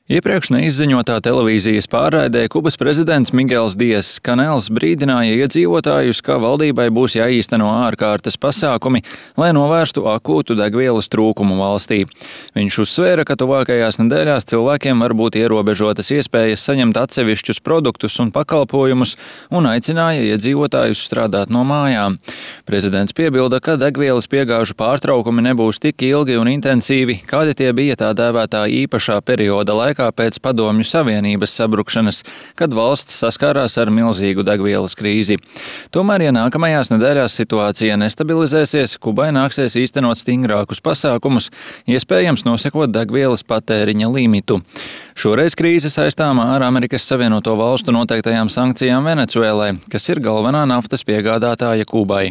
Iepriekš neizziņotā televīzijas pārraidē Kubas prezidents Migels Diess Kanels brīdināja iedzīvotājus, ka valdībai būs jāīsteno ārkārtas pasākumi, lai novērstu akūtu degvielas trūkumu valstī. Viņš uzsvēra, ka tuvākajās nedēļās cilvēkiem var būt ierobežotas iespējas saņemt atsevišķus produktus un pakalpojumus un aicināja iedzīvotājus strādāt no mājām. Prezidents piebilda, ka degvielas piegāžu pārtraukumi nebūs tik ilgi un intensīvi, kādi tie bija tā dēvētā īpašā perioda laikā pēc Padomju Savienības sabrukšanas, kad valsts saskārās ar milzīgu degvielas krīzi. Tomēr, ja nākamajās nedēļās situācija nestabilizēsies, Kubai nāksies īstenot stingrākus pasākumus, iespējams nosakot degvielas patēriņa limitu. Šoreiz krīze saistāmā ar Amerikas Savienoto Valstu noteiktajām sankcijām Venecuēlai, kas ir galvenā naftas piegādātāja Kubai.